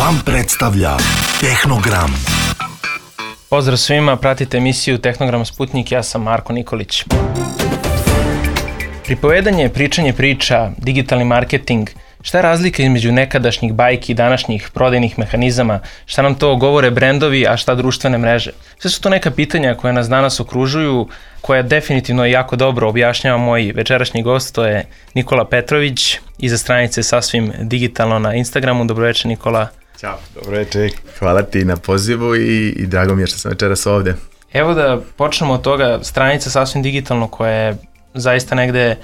Gram predstavlja Tehnogram. Pozdrav svima, pratite emisiju Tehnogram Sputnik, ja sam Marko Nikolić. Pripovedanje, pričanje priča, digitalni marketing, šta je razlika između nekadašnjih bajki i današnjih prodajnih mehanizama, šta nam to govore brendovi, a šta društvene mreže? Sve su to neka pitanja koje nas danas okružuju, koja definitivno jako dobro objašnjava moj večerašnji gost, to je Nikola Petrović, iza stranice Sasvim digitalno na Instagramu. Dobro večer, Nikola. Ćao, dobro večer, hvala ti na pozivu i drago mi je što sam večeras ovde. Evo da počnemo od toga, stranica Sasvim digitalno koja je zaista negde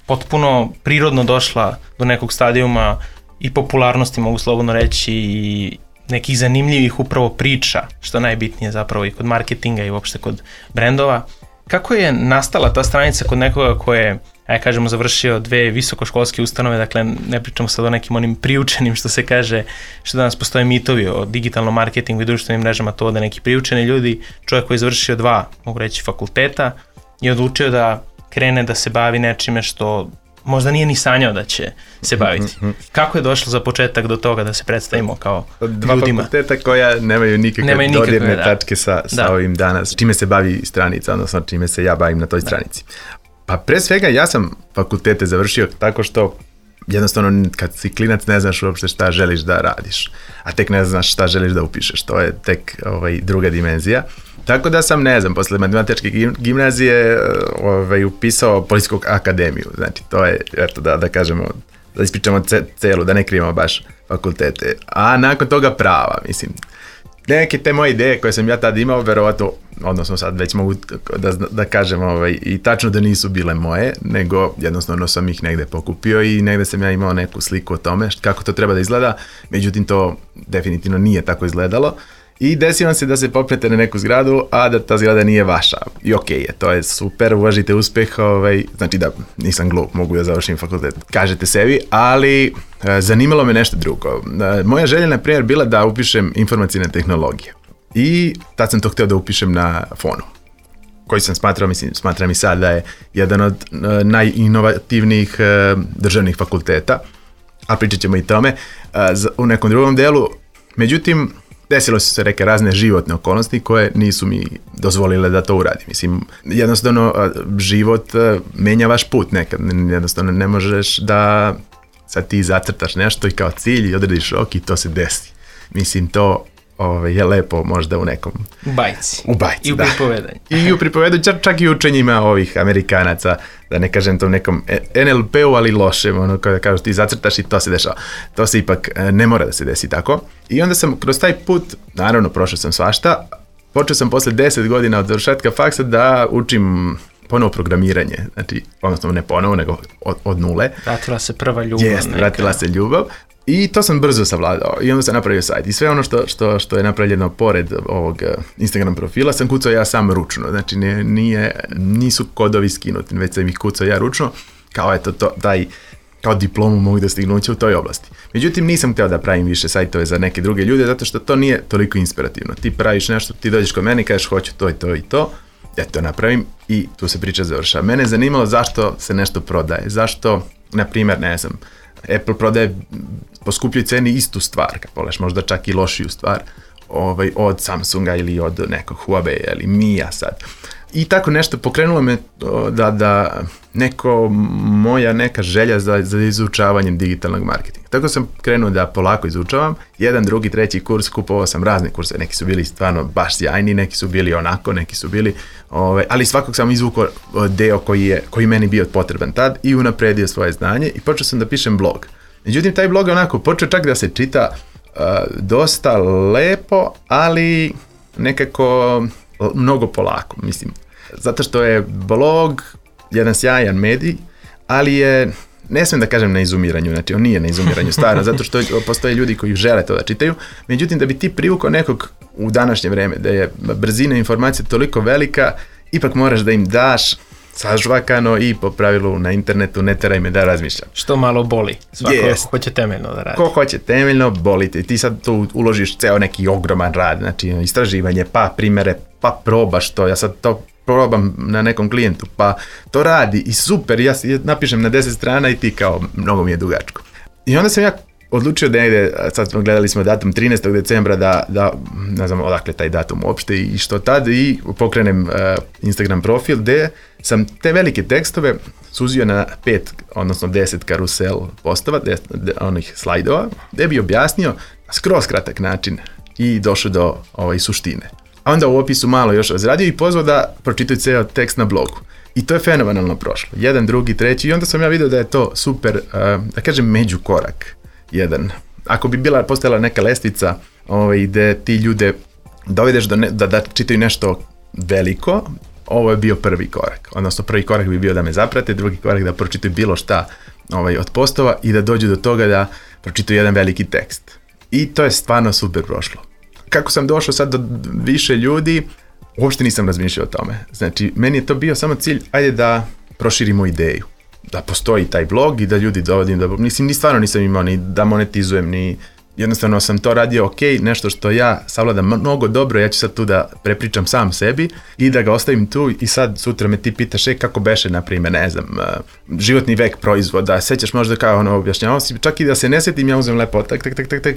potpuno prirodno došla do nekog stadijuma i popularnosti, mogu slobodno reći, i nekih zanimljivih upravo priča, što najbitnije zapravo i kod marketinga i uopšte kod brendova. Kako je nastala ta stranica kod nekoga ko je, ajde kažemo, završio 2 visokoškolske ustanove, dakle ne pričamo sad o nekim onim priučenim, što se kaže, što danas postoje mitovi o digitalnom marketingu i društvenim mrežama, to da neki priučeni ljudi, čovjek koji je završio 2, mogu reći, fakulteta i odlučio da krene da se bavi nečime što možda nije ni sanjao da će se baviti. Kako je došlo za početak do toga da se predstavimo kao Dva ljudima? fakulteta koja nemaju nikakve dodirne tačke sa ovim danas. Čime se bavi stranica, odnosno čime se ja bavim na toj stranici. Pa pre svega ja sam fakultete završio tako što jednostavno kad si klinac ne znaš uopšte šta želiš da radiš, a tek ne znaš šta želiš da upišeš. To je tek druga dimenzija. Tako da sam, ne znam, posle matematičke gimnazije upisao Policijsku akademiju. Znači, to je, eto, da kažemo, da ispričamo celu, da ne krijemo baš fakultete. A nakon toga prava, mislim. Neke te moje ideje koje sam ja tad imao, verovatno, odnosno sad već mogu da kažem i tačno da nisu bile moje, nego jednostavno sam ih negde pokupio i negde sam ja imao neku sliku o tome kako to treba da izgleda, međutim to definitivno nije tako izgledalo. I desi vam se da se popnete na neku zgradu, a da ta zgrada nije vaša. I okej je, to je super, uvažite uspeh, znači da nisam glup, mogu da završim fakultet, kažete sebi, ali zanimalo me nešto drugo. Moja želja, na primjer, bila da upišem informacijne tehnologije. I tad sam to hteo da upišem na FON-u, koji sam smatram i sad da je jedan od najinovativnijih državnih fakulteta, a pričat ćemo i tome u nekom drugom delu. Međutim, desilo su se neke razne životne okolnosti koje nisu mi dozvolile da to uradim. Mislim, jednostavno život menja vaš put nekad. Jednostavno ne možeš da sad ti zacrtaš nešto i kao cilj i odrediš rok i to se desi. Mislim, to je lepo možda u nekom... bajci. U bajci, i u pripovedanju. I u pripovedanju, čak i učenjima ovih Amerikanaca, da ne kažem to nekom NLP-u, ali lošem, ono kada kažeš ti zacrtaš i to se dešava. To se ipak ne mora da se desi tako. I onda sam kroz taj put, naravno prošao sam svašta, počeo sam posle 10 godina od završetka faksa da učim ponovo programiranje, znači, odnosno ne ponovo, nego od nule. Vratila se prva ljubav. Jeste, vratila se ljubav. I to sam brzo savladao i onda sam napravio sajt. I sve ono što je napravljeno pored ovog Instagram profila sam kucao ja sam ručno. Znači nisu kodovi skinuti, već sam ih kucao ja ručno. Kao eto, kao diplomu mogu da stignuće u toj oblasti. Međutim, nisam hteo da pravim više sajtove za neke druge ljude, zato što to nije toliko inspirativno. Ti praviš nešto, ti dođeš kod mene i kažeš hoću to i to i to, ja to napravim i tu se priča završava. Mene je zanimalo zašto se nešto prodaje, zašto, na primjer, ne znam, Apple prodaje po skupljoj ceni istu stvar, kad pogledaš možda čak i lošiju stvar od Samsunga ili od nekog Huawei ili Mija sad. I tako nešto pokrenulo me da moja neka želja za izučavanjem digitalnog marketinga. Tako sam krenuo da polako izučavam. 1, 2, 3 kurs, kupovao sam razne kurse. Neki su bili stvarno baš sjajni, neki su bili onako, neki su bili... ali svakog sam izvukao deo koji meni bio potreban tad i unapredio svoje znanje i počeo sam da pišem blog. Međutim, taj blog je onako počeo čak da se čita dosta lepo, ali nekako mnogo polako, mislim. Zato što je blog jedan sjajan medij, ali je, ne smijem da kažem na izumiranju, znači on nije na izumiranju stvarno, zato što postoje ljudi koji žele to da čitaju, međutim da bi ti privukao nekog u današnje vreme, da je brzina informacije toliko velika, ipak moraš da im daš sažvakano i po pravilu na internetu ne teraj me da razmišljam. Što malo boli, svako hoće temeljno da radi. Ko hoće temeljno, boli te. Ti sad tu uložiš ceo neki ogroman rad, znači istraživanje, pa primere, pa probaš to, ja sad to probam na nekom klijentu, pa to radi i super, ja napišem na 10 strana i ti kao, mnogo mi je dugačko. I onda sam ja odlučio da negde, sad smo gledali smo datum 13. decembra da ne znam odakle taj datum uopšte i što tad, i pokrenem Instagram profil gde sam te velike tekstove suzio na 5, odnosno 10 karusel postova, onih slajdova, gde bi objasnio na skroz kratak način i došao do suštine. A onda u opisu malo još razradio i pozvao da pročitaju ceo tekst na blogu. I to je fenomenalno prošlo. 1, 2, 3 i onda sam ja vidio da je to super, da kažem, međukorak jedan. Ako bi postojala neka lestvica gde ti ljude dovedeš da čitaju nešto veliko, ovo je bio prvi korak. Odnosno prvi korak bi bio da me zaprate, drugi korak da pročitaju bilo šta od postova i da dođu do toga da pročitaju jedan veliki tekst. I to je stvarno super prošlo. Kako sam došao sad do više ljudi, uopšte nisam razmišljao o tome. Znači, meni je to bio samo cilj, ajde da proširimo ideju. Da postoji taj blog i da ljudi dovodim, ni stvarno nisam imao ni da monetizujem, ni jednostavno sam to radio ok, nešto što ja savladam mnogo dobro, ja ću sad tu da prepričam sam sebi i da ga ostavim tu i sad sutra me ti pitaš kako beše, na primjer, ne znam, životni vek proizvoda, sećaš možda kao objašnjavao si, čak i da se ne setim, ja uzem lepo, tak,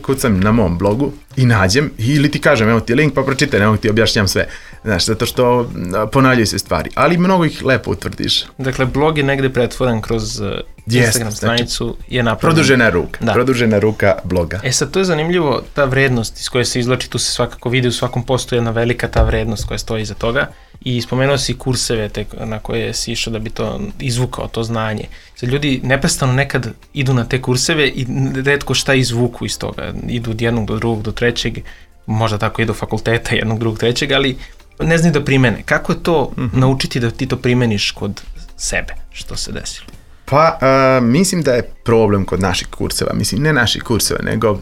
kucam na mom blogu i nađem ili ti kažem, evo ti link pa pročitaj, evo ti objašnjam sve, znaš, zato što ponavljaju se stvari, ali mnogo ih lepo utvrdiš. Dakle, blog je negde pretvoren kroz Instagram stranicu, je napravljena. Produžena ruka bloga. Sad, to je zanimljivo, ta vrednost iz koje se izvlači, tu se svakako vidi, u svakom postu jedna velika ta vrednost koja stoji iza toga i spomenuo si kurseve na koje si išao da bi to izvukao, to znanje. Sad, ljudi neprestano nekad idu na te kurseve i retko šta izvuku iz toga, idu od jednog do drugog do trećeg, možda tako idu do fakulteta jednog, drugog, trećeg, ali ne znaju da primene. Kako je to naučiti da ti to primeniš kod sebe, što se desilo? Pa, mislim da je problem kod naših kurseva, mislim ne naših kurseva, nego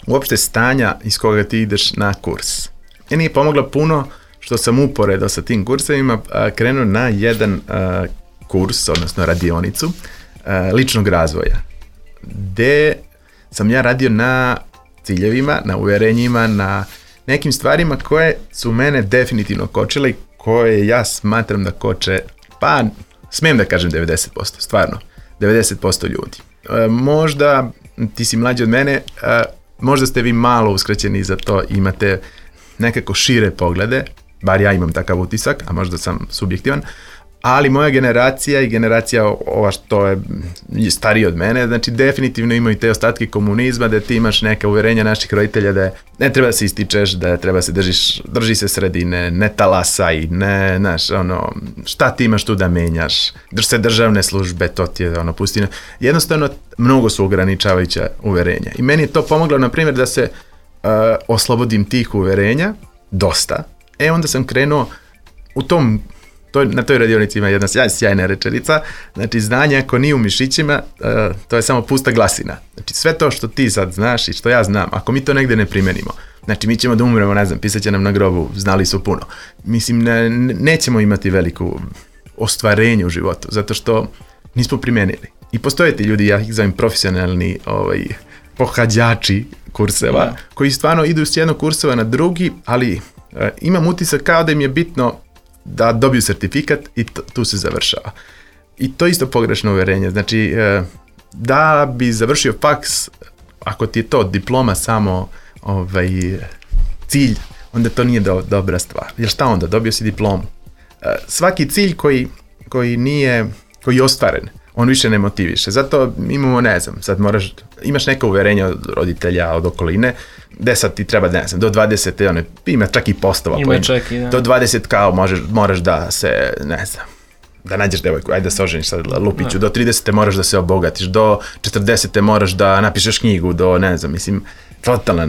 uopšte stanja iz koga ti ideš na kurs. Meni je pomoglo puno što sam uporedo sa tim kursevima krenuo na jedan kurs, odnosno radionicu ličnog razvoja, gde sam ja radio na ciljevima, na uverenjima, na nekim stvarima koje su mene definitivno kočile i koje ja smatram da koče, pa smijem da kažem 90%, stvarno, 90% ljudi. Možda ti si mlađi od mene, možda ste vi malo uskraćeni za to, imate nekako šire poglede, bar ja imam takav utisak, a možda sam subjektivan, ali moja generacija i generacija ova što je stariji od mene, znači definitivno imaju te ostatke komunizma, da ti imaš neka uverenja naših roditelja da ne treba se ističeš, da treba se drži se sredine, ne talasaj, ne, znaš, šta ti imaš tu da menjaš, drž se državne službe, to ti je pustina. Jednostavno, mnogo su ograničavajuća uverenja. I meni je to pomoglo, na primjer, da se oslobodim tih uverenja, dosta. Onda sam krenuo u tom, na toj radionici ima jedna sjajna rečenica, znači znanje ako nije u mišićima, to je samo pusta glasina. Znači sve to što ti sad znaš i što ja znam, ako mi to negde ne primenimo, znači mi ćemo da umremo, ne znam, pisat će nam na grobu, znali su puno. Mislim, nećemo imati veliku ostvarenje u životu, zato što nismo primenili. I postoje ti ljudi, ja ih zovem profesionalni pohađači kurseva, koji stvarno idu s jednog kurseva na drugi, ali imam utisak kao da im je bitno da dobiju sertifikat i tu se završava. I to je isto pogrešno uverenje. Znači, da bi završio faks, ako ti je to diploma samo cilj, onda to nije dobra stvar. Jer šta onda? Dobio si diplomu. Svaki cilj koji je ostvaren, on više ne motiviše. Zato imamo, ne znam, sad imaš neka uverenja od roditelja, od okoline, gde sad ti treba, ne znam, do 20, ima čak i postova. Do 20 kao moraš da se, ne znam, da nađeš devojku, ajde da se oženiš sad lupiću, do 30 moraš da se obogatiš, do 40 moraš da napišeš knjigu, do, ne znam, mislim, totalno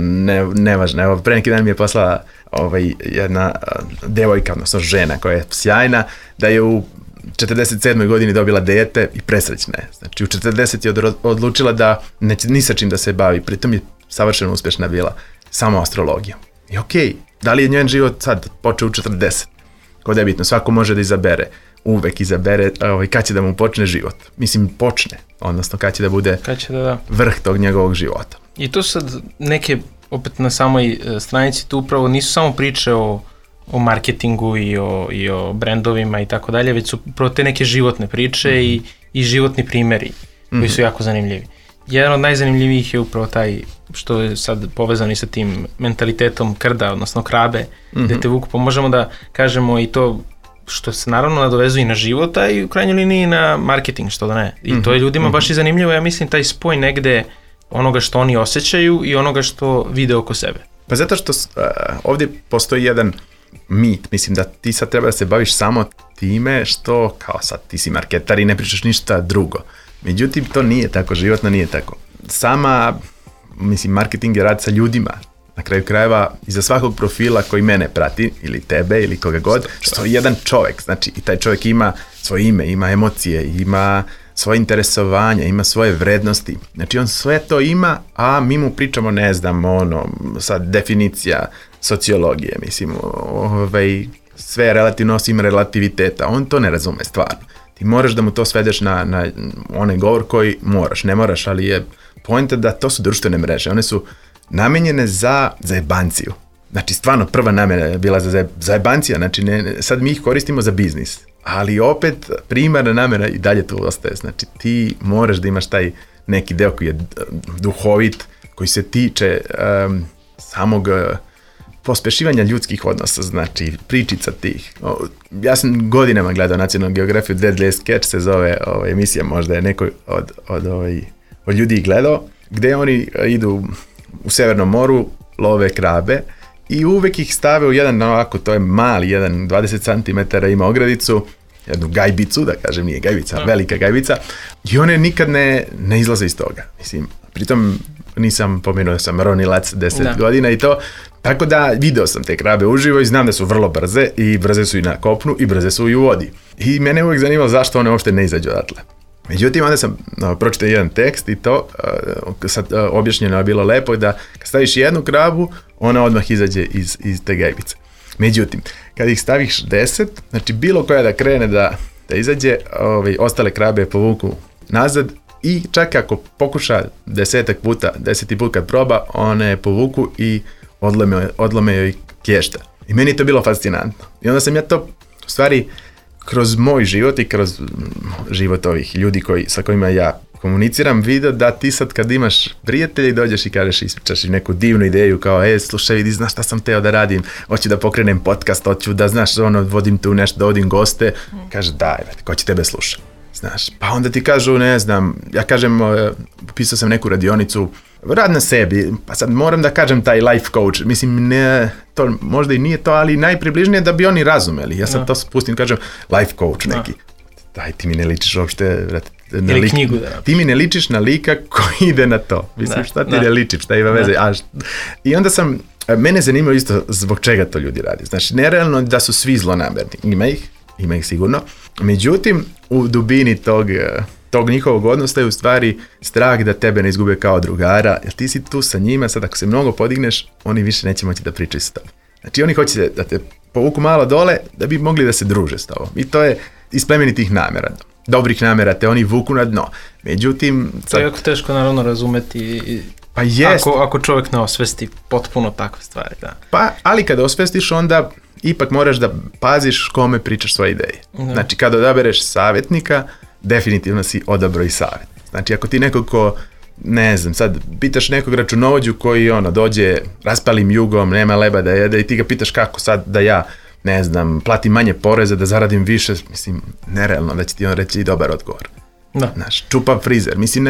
nevažno. Evo, pre neki dan mi je poslala jedna devojka, odnosno žena koja je sjajna, da je u 47. godini dobila dete i presrećna je. Znači u 40 je odlučila da neće ni sa čim da se bavi, pritom je savršeno uspješna bila samo astrologijom. I okej, da li je njen život sad počeo u 40? Kod je bitno, svako može da izabere, uvek izabere kad će da mu počne život. Mislim, počne, odnosno kad će da bude vrh tog njegovog života. I to sad neke, opet na samoj stranici, tu upravo nisu samo priče o marketingu i o brendovima i tako dalje, već su upravo te neke životne priče i životni primjeri koji su jako zanimljivi. jedan od najzanimljivijih je upravo taj što je sad povezan i sa tim mentalitetom krda, odnosno krabe, gde te vuku, pa možemo da kažemo i to što se naravno nadovezuje i na život, a i u krajnjoj liniji na marketing, što da ne. I to je ljudima baš i zanimljivo, ja mislim, taj spoj negde onoga što oni osjećaju i onoga što vide oko sebe. Pa zato što ovdje postoji jedan mit, mislim da ti sad treba da se baviš samo time što, kao sad ti si marketar i ne pričaš ništa drugo. Međutim, to nije tako, životno nije tako. Marketing je rad sa ljudima. Na kraju krajeva, iza svakog profila koji mene prati, ili tebe, ili koga god, stoji jedan čovjek. Znači, i taj čovjek ima svoje ime, ima emocije, ima svoje interesovanja, ima svoje vrednosti. Znači, on sve to ima, a mi mu pričamo, ne znam, sad definicija sociologije, mislim, sve je relativno osim relativiteta. On to ne razume stvarno. Ti moraš da mu to svedeš na onaj govor koji moraš. Ne moraš, ali je poenta da to su društvene mreže. One su namenjene za zajebanciju. Znači, stvarno prva namjena je bila za zajebancija. Znači, sad mi ih koristimo za biznis. Ali opet, primarna namjera i dalje tu ostaje. Znači, ti moraš da imaš taj neki deo koji je duhovit, koji se tiče samog pospešivanja ljudskih odnosa, znači pričica tih. Ja sam godinama gledao Nacionalnu geografiju, Deadliest Catch se zove emisija, možda je neko od ljudi gledao, gdje oni idu u Severnom moru, love krabe i uvek ih stave u jedan, ovako, to je mali, 20 cm ima ogradicu, jednu gajbicu, da kažem, nije gajbica, velika gajbica, i one nikad ne izlaze iz toga. Mislim, pritom nisam pomenuo da sam ronilac 10 godina i to, tako da video sam te krabe uživo i znam da su vrlo brze i brze su i na kopnu i brze su i u vodi. I mene uvijek zanimalo zašto one uopšte ne izađu odatle. Međutim, onda sam pročitao jedan tekst i to sad objašnjeno je bilo lepo da kad staviš jednu krabu, ona odmah izađe iz te gajbice. Međutim, kad ih staviš 10, znači bilo koja da krene da izađe, ostale krabe povuku nazad i čak ako pokuša 10 put kad proba, one povuku i odlome joj klješta. I meni je to bilo fascinantno. I onda sam ja to, u stvari, kroz moj život i kroz život ovih ljudi sa kojima ja komuniciram, vidio da ti sad kad imaš prijatelja i dođeš i kažeš, ispričaš neku divnu ideju kao, slušaj, vidi, znaš šta sam teo da radim, hoću da pokrenem podcast, hoću da, znaš, vodim tu nešto, da vodim goste, kaže, daj, ko će tebe slušati? Znaš, pa onda ti kažu, ne znam, ja kažem, pisao sam neku radionicu, rad na sebi, pa sad moram da kažem taj life coach, mislim, ne, to možda i nije to, ali najpribližnije da bi oni razumeli. Ja sad to spustim, kažem, life coach neki. Daj, ti mi ne ličiš uopšte na lika. Knjigu, da. Ti mi ne ličiš na lika koji ide na to. Mislim, šta ti ne ličiš, šta ima veze? I onda mene zanimalo isto zbog čega to ljudi radi. Znači, nerealno da su svi zlonamerni. Ima ih sigurno. Međutim, u dubini tog njihovog odnosa je u stvari strah da tebe ne izgube kao drugara, jer ti si tu sa njima, sad ako se mnogo podigneš, oni više neće moći da pričaju s tobom. Znači oni hoće da te povuku malo dole da bi mogli da se druže s tobom. I to je iz plemenitih namjera. Dobrih namjera te oni vuku na dno. Međutim... To je jako teško naravno razumeti pa jest. Ako čovjek ne osvesti potpuno takve stvari. Da. Pa, ali kada osvestiš onda ipak moraš da paziš kome pričaš svoje ideje. Znači kada odabereš savjetnika, definitivno si odabrao i savjet. Znači ako ti nekog ko, ne znam, sad pitaš nekog računovođu koji dođe raspalim jugom, nema leba da jede i ti ga pitaš kako sad da ja, ne znam, platim manje poreza, da zaradim više, mislim, nerealno da će ti on reći i dobar odgovor. Da. Znaš, čupav frizer, mislim,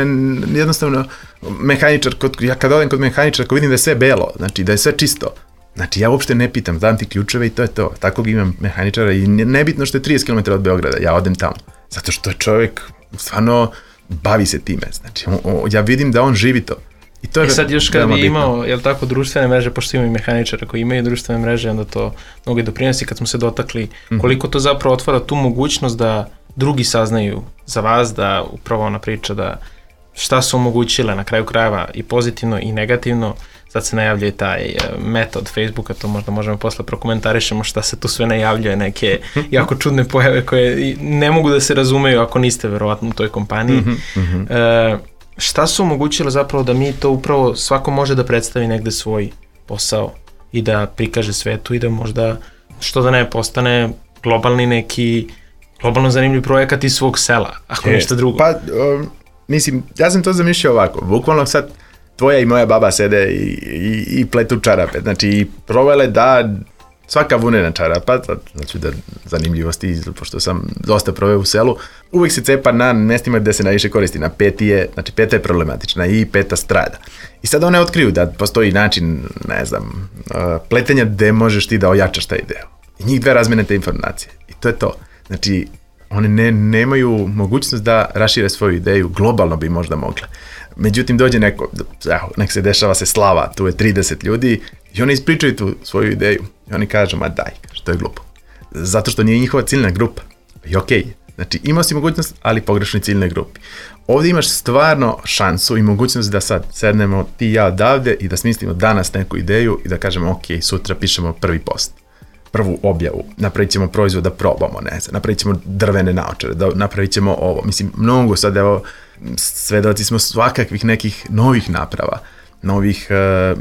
jednostavno mehaničar, ja kad odem kod mehaničara, ako vidim da je sve belo, znači da je sve čisto, znači ja uopšte ne pitam, dam ti ključeve i to je to. Takvog imam mehaničara i nebitno što je 30 km od Beograda, ja odem tamo. Zato što je čovjek stvarno bavi se time. Znači, ja vidim da on živi to. I to je sad još kad bi imao, jel tako, društvene mreže, pošto imaju mehaničara koji imaju društvene mreže, onda to mnogo i doprinosi kad smo se dotakli, koliko to zapravo otvara tu mogućnost da drugi saznaju za vas, da upravo ona priča da šta su omogućile na kraju krajeva i pozitivno i negativno. Sad se najavljuje taj meta od Facebooka, to možda možemo posle prokomentarišemo šta se tu sve najavljuje, neke jako čudne pojave koje ne mogu da se razumeju ako niste verovatno u toj kompaniji. Šta su omogućile zapravo da mi to upravo svako može da predstavi negde svoj posao i da prikaže svetu i da možda, što da ne, postane globalno zanimljiv projekat iz svog sela, ako ništa drugo. Pa, mislim, ja sam to zamišljao ovako, bukvalno sad tvoja i moja baba sede i pletu čarape, znači i provele da svaka vunena čarapa, znači da zanimljivosti, pošto sam dosta proveo u selu, uvijek se cepa na mestima gde se najviše koristi, na peta je problematična i peta strada. I sad one otkriju da postoji način, ne znam, pletenja gde možeš ti da ojačaš taj deo. I njih dve razmene te informacije. I to je to. Znači, one nemaju mogućnost da rašire svoju ideju, globalno bi možda mogle. Međutim, dođe nek se dešava se slava, tu je 30 ljudi i oni ispričaju tu svoju ideju. I oni kažu, ma daj, to je glupo. Zato što nije njihova ciljna grupa. I okej. Znači, imao si mogućnost, ali pogrešnoj ciljnoj grupi. Ovdje imaš stvarno šansu i mogućnost da sad sednemo ti i ja odavde i da smislimo danas neku ideju i da kažemo, ok, sutra pišemo prvi post, prvu objavu, napravit ćemo proizvod da probamo, ne znam, napravit ćemo drvene naočare, da napravit ćemo ovo. Mislim, mnogo sad, evo, svedoci smo svakakvih nekih novih naprava, novih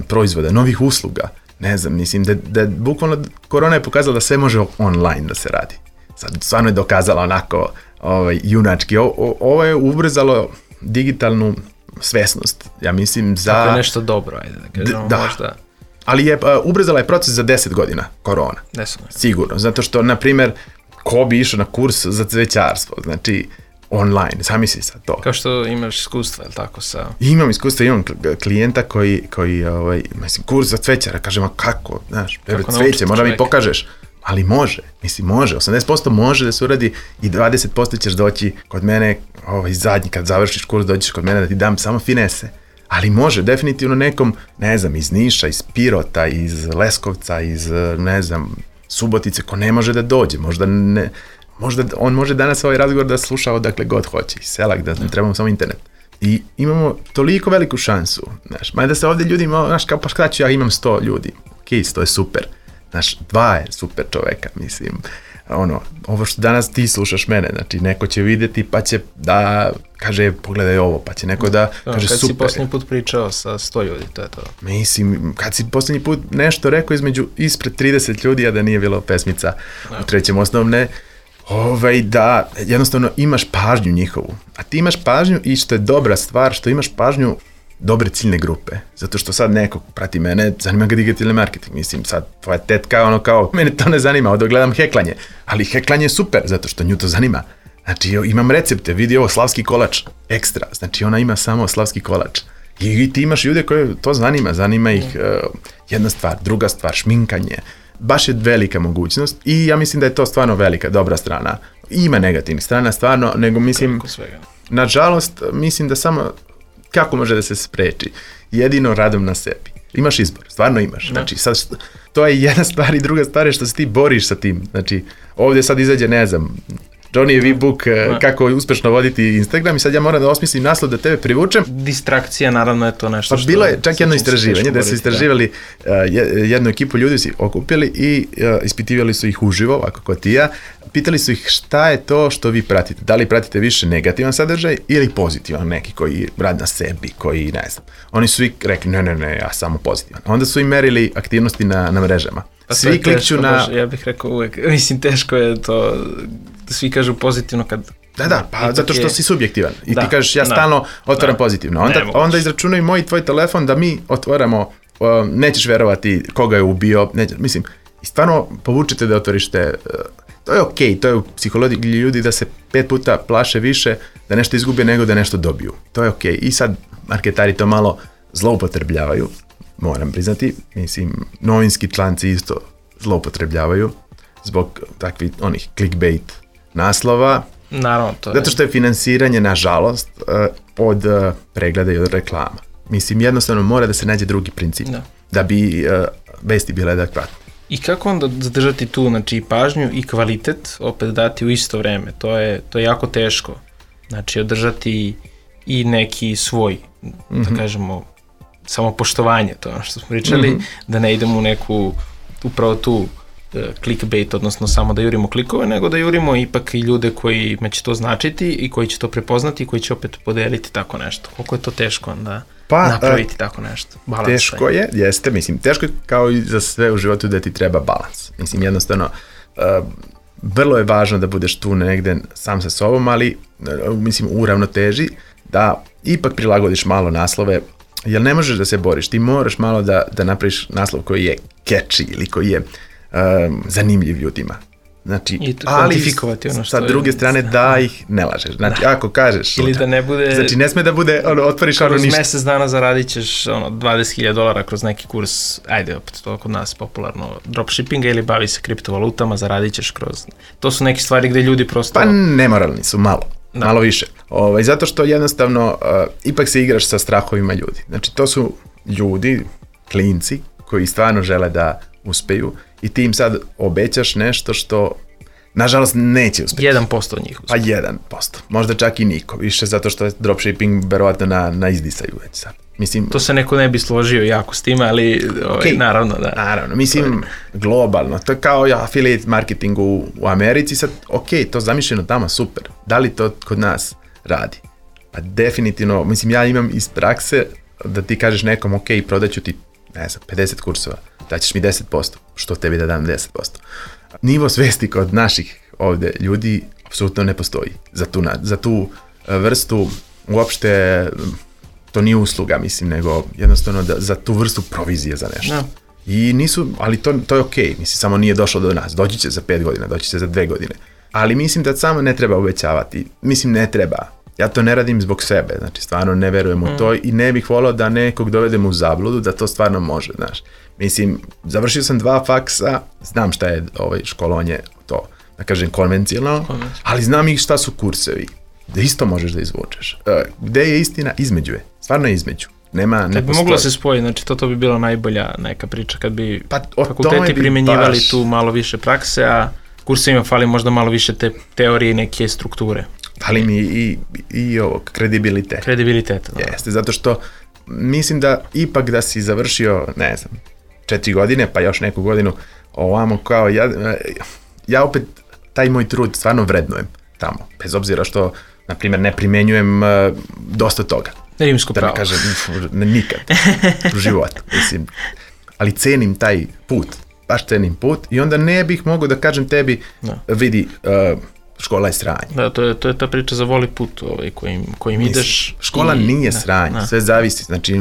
proizvoda, novih usluga. Ne znam, mislim da bukvalno korona je pokazala da sve može online da se radi. Sad stvarno je dokazala onako junački. Ovo je ubrzalo digitalnu svesnost, ja mislim, za... Tako je nešto dobro, ajde da kažemo, možda... Ali ubrzala je proces za 10 godina korona. Sigurno, zato što, na primjer, ko bi išao na kurs za cvećarstvo, znači online, zamisli sad to. Kao što imaš iskustva, je li tako sa... Imam iskustva, imam klijenta koji mislim, kurs za cvećara, kažem, a kako, znaš, cveće, možda mi pokažeš. Ali može, 80% može da se uradi i 20% ćeš doći kod mene, zadnji, kad završiš kurs, dođeš kod mene da ti dam samo finese. Ali može, definitivno nekom, ne znam, iz Niša, iz Pirota, iz Leskovca, iz, ne znam, Subotice, ko ne može da dođe, možda on može danas ovaj razgovor da sluša odakle god hoće, iz sela, da ne trebamo samo internet. I imamo toliko veliku šansu, znaš, mada se ovdje ljudi, znaš, kao pa šta ću, ja imam 100 ljudi, ok, 100 je super, znaš, 2 je super čoveka, mislim, ovo što danas ti slušaš mene, znači, neko će vidjeti pa će da kaže, pogledaj ovo, pa će neko da kaže kad super. Kad si posljednji put pričao sa 100 ljudi, to je to. Mislim, kad si posljednji put nešto rekao ispred 30 ljudi, a da nije bilo pesmica u trećem osnovne, da jednostavno imaš pažnju njihovu. A ti imaš pažnju i što je dobra stvar, što imaš pažnju dobre ciljne grupe. Zato što sad neko prati mene, zanima ga digitalni marketing. Mislim, sad tvoja tetka, kao, mene to ne zanima, ovdje gledam heklanje. Ali heklanje je super, zato što nju to zanima. Znači, imam recepte, vidi ovo, slavski kolač, ekstra. Znači, ona ima samo slavski kolač. I ti imaš ljude koje to zanima ih jedna stvar, druga stvar, šminkanje. Baš je velika mogućnost i ja mislim da je to stvarno velika, dobra strana. Ima negativnih strana, stvarno, nego mislim, nažalost, mislim da samo, kako može da se spreči? Jedino radom na sebi. Imaš izbor, stvarno imaš. Znači, sad, to je jedna stvar i druga stvar je što se ti boriš sa tim. Znači, ovdje sad izađe, ne znam, Johnny book kako uspješno voditi Instagram i sad ja moram da osmislim naslov da tebe privučem. Distrakcija, naravno je to nešto što... Pa bilo je čak jedno istraživanje da su istraživali jednu ekipu ljudi su okupili i ispitivali su ih uživo, ovako kao ti ja. Pitali su ih šta je to što vi pratite. Da li pratite više negativan sadržaj ili pozitivan, neki koji radi na sebi, koji ne znam. Oni su i rekli ne, ja samo pozitivan. Onda su im merili aktivnosti na mrežama. Pa svi klikću na... Ja bih rekao uvek, mislim teško je to... Svi kažu pozitivno kad... Da, pa zato što si subjektivan. I ti kažeš ja stalno otvaram pozitivno. Onda izračunaju moj i tvoj telefon da mi otvaramo, nećeš verovati koga je ubio, mislim, i stvarno povučete da otvoriš te... To je okej, to je u psihologiji ljudi da se 5 puta plaše više da nešto izgube nego da nešto dobiju. To je okej. I sad marketari to malo zloupotrebljavaju, moram priznati. Mislim, novinski članci isto zloupotrebljavaju zbog takvih onih clickbait naslova. Naravno, to je. Zato što je finansiranje, nažalost, od pregleda i od reklama. Mislim, jednostavno mora da se nađe drugi princip. Da bi vesti bile adekvatne. I kako onda zadržati tu, znači, pažnju i kvalitet, opet dati u isto vreme? To je jako teško. Znači, održati i neki svoj, da kažemo, samopoštovanje, to ono što smo pričali, da ne idemo u neku, upravo tu clickbait, odnosno samo da jurimo klikove, nego da jurimo ipak i ljude kojima će to značiti i koji će to prepoznati i koji će opet podeliti tako nešto. Koliko je to teško onda napraviti tako nešto? Balans teško je, jeste, mislim, teško je kao i za sve u životu da ti treba balans. Mislim, jednostavno, vrlo je važno da budeš tu negde sam sa sobom, ali, mislim, u ravnoteži, da ipak prilagodiš malo naslove, jer ne možeš da se boriš, ti moraš malo da napraviš naslov koji je catchy ili koji je zanimljiv ljudima. Znači, ali sa druge strane da ih ne lažeš. Znači, ako kažeš ili da ne bude, znači ne sme da bude otvoriš ono ništa. Kroz mesec dana zaradit ćeš $20,000 kroz neki kurs, ajde opet to kod nas popularno dropshippinga ili bavi se kriptovalutama, zaradit ćeš kroz, to su neke stvari gde ljudi prosto pa nemoralni su malo više, zato što jednostavno ipak se igraš sa strahovima ljudi. Znači, to su ljudi, klinci koji stvarno žele da uspeju i ti im sad obećaš nešto što nažalost neće uspjeti. 1% od njih uspjeti. Pa 1%, možda čak i niko, više zato što je dropshipping verovatno na izdisaju već sad. Mislim, to se neko ne bi složio jako s time, ali okay, naravno da. Naravno, mislim globalno, to je kao affiliate marketing u Americi, sad to zamišljeno tamo, super, da li to kod nas radi? Pa definitivno, mislim ja imam iz prakse da ti kažeš nekom prodaću ti, ne znam, 50 kursova, daćeš mi 10%, što tebi da dam 10%. Nivo svesti kod naših ovde ljudi apsolutno ne postoji za tu vrstu, uopšte to nije usluga, mislim, nego jednostavno za tu vrstu provizije za nešto. No. I nisu, ali to je okej, mislim, samo nije došlo do nas, doći će za 5 godina, doći će za 2 godine. Ali mislim da samo ne treba obećavati, mislim ne treba. Ja to ne radim zbog sebe, znači stvarno ne verujem u to i ne bih volao da nekog dovedem u zabludu da to stvarno može, znaš. Mislim, završio sam 2 faksa, znam šta je školovanje, to, da kažem, konvencionalno, ali znam i šta su kursevi, da isto možeš da izvučeš. Gde je istina? Između je, stvarno je između. Kad bi moglo se spojiti, znači to bi bila najbolja neka priča, kad bi fakulteti primenjivali tu malo više prakse, a kursevima fali možda malo više te teorije i neke strukture. Ali mi i ovo, kredibilitet. Kredibilitet, da. Jeste, zato što mislim da ipak da si završio, ne znam, 4 godine, pa još neku godinu ovamo kao ja opet taj moj trud stvarno vrednujem tamo, bez obzira što, na primjer, ne primenjujem dosta toga. Rimsko pravo. Da ne kažem, nikad u životu, mislim. Ali cenim taj put, baš cenim put i onda ne bih mogao da kažem tebi, vidi, škola je sranje. Da, to je ta priča za voli put kojim ideš. Škola nije sranje, sve zavisi. Znači,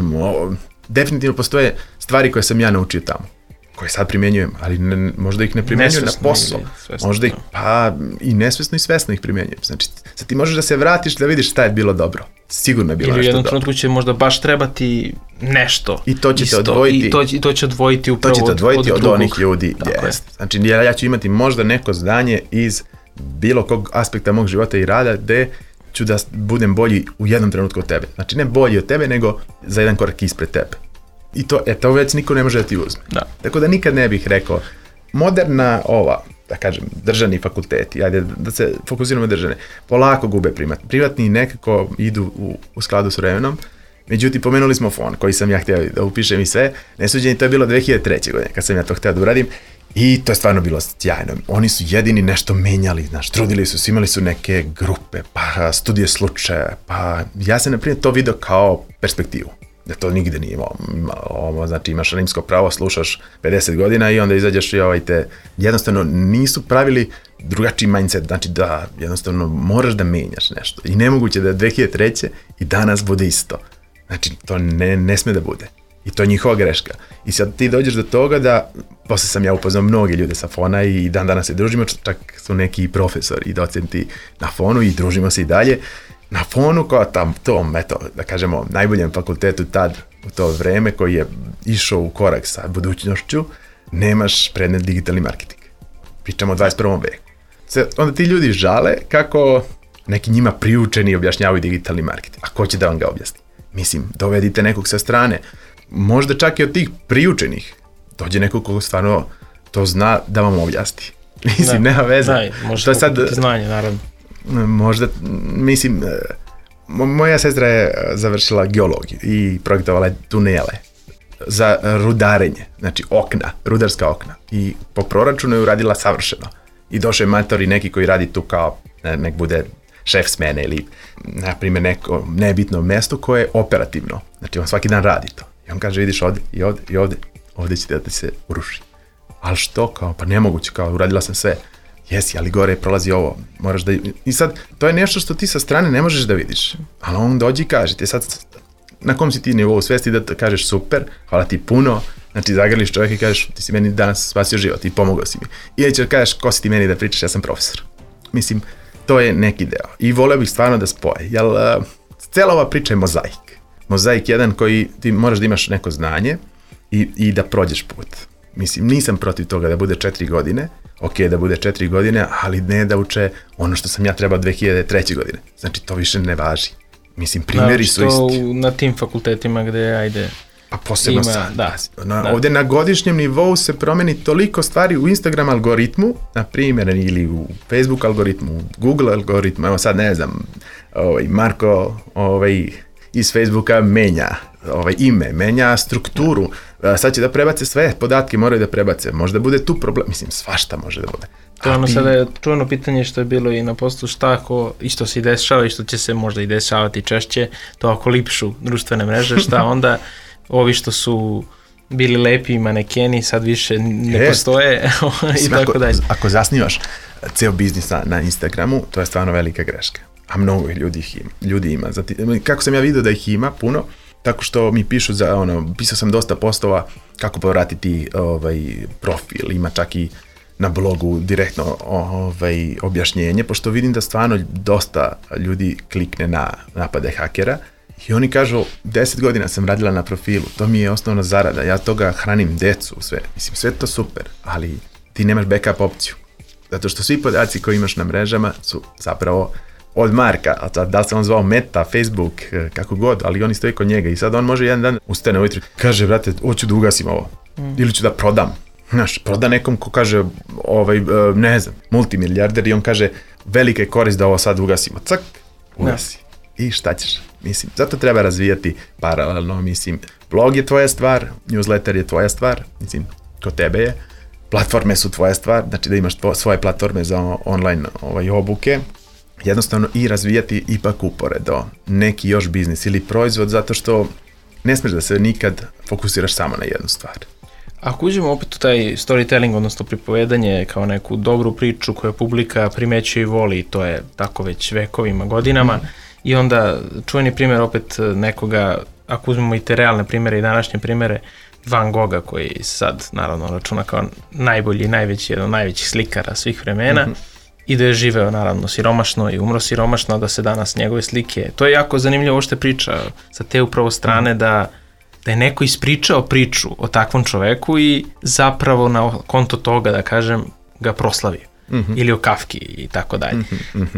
definitivno postoje stvari koje sam ja naučio tamo, koje sad primjenjujem, ali možda ih ne primjenjujem na posao. Možda ih, pa i nesvesno i svesno ih primjenjujem. Znači, sad ti možeš da se vratiš da vidiš šta je bilo dobro. Sigurno je bilo nešto dobro. Ili u jednom trenutku će možda baš trebati nešto. I to će te odvojiti. I to će odvojiti upravo od onih ljudi. Znači, ja ću imati možda neko znanje iz bilo kog aspekta mog života i rada gde ću da budem bolji u jednom trenutku od tebe. Znači, ne bolji od tebe, nego za jedan korak ispred tebe. I to već niko ne može da ti uzme. Da. Tako da nikad ne bih rekao, moderna da kažem, državni fakulteti, ajde da se fokusiramo državne, polako gube primat. Privatni nekako idu u skladu s vremenom, međutim, pomenuli smo fon, koji sam ja htio da upišem i sve, nesuđeni, to je bilo 2003. godine, kad sam ja to htio da uradim, i to je stvarno bilo sjajno. Oni su jedini nešto menjali, znaš, trudili su, imali su neke grupe, pa studije slučaja, pa ja sam, na primjer, to video kao perspektivu. Da to nigde nije imao, znači imaš rimsko pravo, slušaš 50 godina i onda izađeš i jednostavno nisu pravili drugačiji mindset, znači da jednostavno moraš da menjaš nešto i nemoguće da 2003. i danas bude isto. Znači to ne sme da bude i to je njihova greška. I sad ti dođeš do toga da, posle sam ja upoznao mnogi ljude sa Fona i dan danas se družimo, čak su neki profesori i docenti na Fonu i družimo se i dalje. Na Fonu kao tom, da kažemo, najboljem fakultetu tad, u to vreme, koji je išao u korak sa budućnošću, nemaš predmet digitalni marketing. Pričamo o 21. veku. Onda ti ljudi žale kako neki njima priučeni objašnjavaju digitalni marketing. A ko će da vam ga objasni? Mislim, dovedite nekog sa strane. Možda čak i od tih priučenih dođe nekog ko stvarno to zna da vam objasni. Mislim, nema veze. Možda kupiti znanje, naravno. Možda, mislim, moja sestra je završila geologiju i projektovala je tunele za rudarenje, znači rudarska okna, i po proračunu je uradila savršeno. I došao je mator i neki koji radi tu kao nek bude šef smene ili, na primjer, neko nebitno mesto koje je operativno, znači on svaki dan radi to. I on kaže, vidiš ovde i ovde će da ti se uruši. Ali što, kao, pa nemoguće, kao, uradila sam sve. jesi, ali gore prolazi ovo, moraš da... I sad, to je nešto što ti sa strane ne možeš da vidiš, ali on dođi i kaže, ti sad, na kom si ti nivou svesti da kažeš super, hvala ti puno, znači zagrliš čovjek i kažeš, ti si meni danas spasio život i pomogao si mi. Ili ćeš kažeš, ko si ti meni da pričaš, ja sam profesor. Mislim, to je neki deo. I voleo bih stvarno da spoje, jer cela ova priča je mozaik. Mozaik jedan koji ti moraš da imaš neko znanje i da prođeš put. Mislim, nisam protiv toga da bude 4 godine, ok, da bude 4 godine, ali ne da uče ono što sam ja trebao 2003. godine. Znači, to više ne važi. Mislim, primjeri su isti. Na tim fakultetima gde, ajde... Pa posebno sad. Ovdje na godišnjem nivou se promeni toliko stvari u Instagram algoritmu, na primjer, ili u Facebook algoritmu, u Google algoritmu, evo sad ne znam, Marko iz Facebooka menja ime, menja strukturu, sad će da prebace sve podatke, moraju da prebace, možda bude tu problem, mislim, svašta može da bude. To je ono sada je čuveno pitanje što je bilo i na postu, šta ako isto se i dešava i što će se možda i dešavati češće, to ako lipšu društvene mreže, šta onda ovi što su bili lepi manekeni sad više ne postoje i tako dalje. Ako zasnivaš ceo biznis na Instagramu, to je stvarno velika greška. A mnogo ljudi ima. Kako sam ja vidio da ih ima puno, tako što mi pišu pisao sam dosta postova kako povratiti profil, ima čak i na blogu direktno objašnjenje, pošto vidim da stvarno dosta ljudi klikne na napade hakera i oni kažu 10 godina sam radila na profilu, to mi je osnovna zarada, ja toga hranim decu, sve. Mislim, sve to super, ali ti nemaš backup opciju. Zato što svi podaci koji imaš na mrežama su zapravo od Marka, da se on zvao Meta, Facebook, kako god, ali oni stoji kod njega i sad on može jedan dan ustane ujutro, kaže, brate, hoću da ugasim ovo, ili ću da prodam. Znaš, proda nekom ko kaže, ne znam, multimilijarder i on kaže, velika je korist da ovo sad ugasimo. Cak, ugasi. I šta ćeš? Mislim, zato treba razvijati paralelno, mislim, blog je tvoja stvar, newsletter je tvoja stvar, mislim, kod tebe je, platforme su tvoja stvar, znači da imaš svoje platforme za online obuke, jednostavno i razvijati ipak uporedo neki još biznis ili proizvod, zato što ne smiješ da se nikad fokusiraš samo na jednu stvar. Ako uđemo opet u taj storytelling, odnosno pripovedanje kao neku dobru priču koju publika primećuje i voli, to je tako već vekovima, godinama, i onda čuveni primjer opet nekoga, ako uzmemo i te realne primjere i današnje primjere, Van Gogha koji sad naravno računa kao najbolji i najveći, jedan od najvećih slikara svih vremena, i da je živeo naravno siromašno i umro siromašno, da se danas njegove slike, to je jako zanimljivo uopšte priča sa te upravo strane da je neko ispričao priču o takvom čoveku i zapravo na konto toga, da kažem, ga proslavio. Ili o Kafki i tako dalje.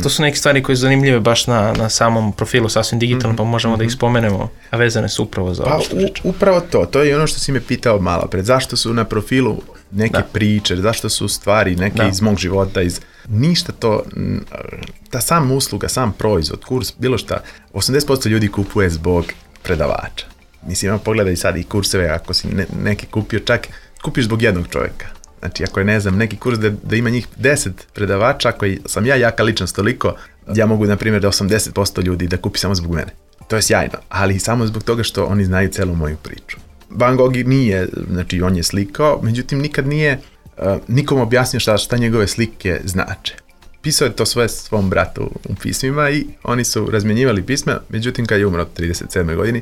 To su neke stvari koje su zanimljive baš na samom profilu Sasvim digitalno, pa možemo da ih spomenemo, a vezane su upravo za ovo što pričam. Upravo to je ono što si me pitao malo pred. Zašto su na profilu neke priče, zašto su stvari neke iz mog života, ništa to, ta sam usluga, sam proizvod, kurs, bilo šta, 80% ljudi kupuje zbog predavača. Mislim, pogledaj sad i kurseve, ako si neki kupio, čak kupiš zbog jednog čovjeka. Znači, ako je, ne znam, neki kurs da ima njih 10 predavača, koji sam ja jaka ličnost toliko, ja mogu, na primjer, da 80% ljudi da kupi samo zbog mene. To je sjajno, ali samo zbog toga što oni znaju celu moju priču. Van Gogh nije, znači, on je slikao, međutim, nikad nije nikom objasnio šta njegove slike znače. Pisao je to sve svom bratu u pismima i oni su razmjenjivali pisma, međutim, kad je umro od 37. godini,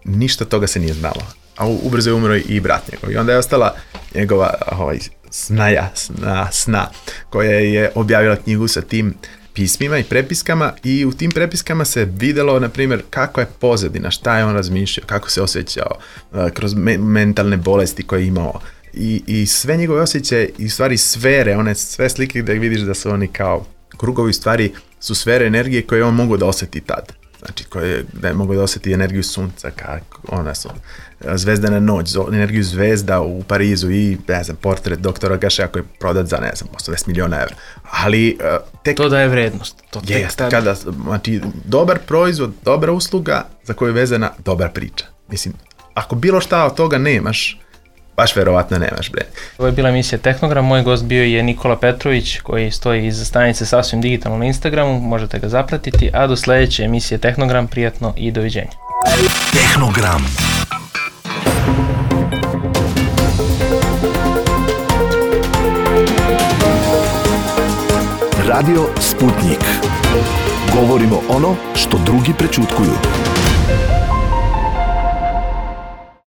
ništa toga se nije znalo. A ubrzo je umro i brat njegov. I onda je ostala njegova sna, koja je objavila knjigu sa tim pismima i prepiskama i u tim prepiskama se videlo, na primjer, kako je pozadina, šta je on razmišljao, kako se osjećao kroz mentalne bolesti koje je imao. I sve njegove osjećaje i stvari sfere, one sve slike gdje vidiš da su oni kao krugovi, stvari su sfere energije koje on mogu da osjeti tad. Znači, da je mogu da osjeti energiju sunca, ona su zvezdana noć, energiju zvezda u Parizu i, ne znam, portret doktora Gašea koji je prodat za, ne znam, 80 miliona evra. Ali, to daje vrednost. Znači, dobar proizvod, dobra usluga za koju je vezana dobra priča. Mislim, ako bilo šta od toga nemaš, baš verovatno nemaš, bre. Ovo je bila emisija Tehnogram, moj gost bio je Nikola Petrović koji stoji iza stanice Sasvim digitalno na Instagramu, možete ga zapratiti, a do sledeće emisije Tehnogram, prijatno i doviđenja. Tehnogram. Radio Sputnik. Govorimo ono što drugi prečutkuju.